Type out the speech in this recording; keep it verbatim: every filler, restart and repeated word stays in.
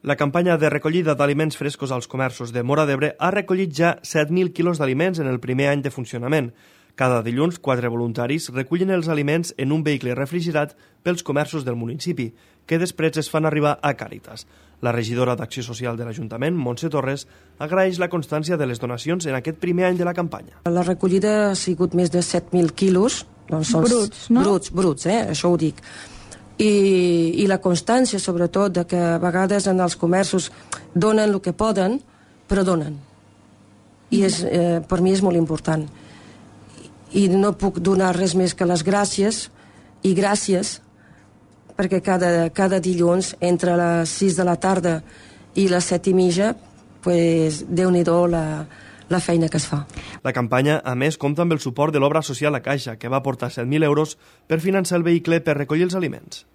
La campanya de recollida d'aliments frescos als comerços de Móra d'Ebre ha recollit ja set mil quilos d'aliments en el primer any de funcionament. Cada dilluns, quatre voluntaris recullen els aliments en un vehicle refrigerat pels comerços del municipi, que després es fan arribar a Càritas. La regidora d'Acció Social de l'Ajuntament, Montse Torres, agraeix la constància de les donacions en aquest primer any de la campanya. La recollida ha sigut més de set mil quilos. Doncs són bruts, no? Bruts, bruts, eh? Això ho dic. I, i la constància, sobretot, de que a vegades en els comerços donen el que poden, però donen. I és, eh, per mi és molt important. I no puc donar res més que les gràcies, i gràcies, perquè cada, cada dilluns, entre les sis de la tarda i les set i mitja, pues, Déu-n'hi-do la, la feina que es fa. La campanya, a més, compta amb el suport de l'obra social a Caixa, que va aportar set mil euros per finançar el vehicle per recollir els aliments.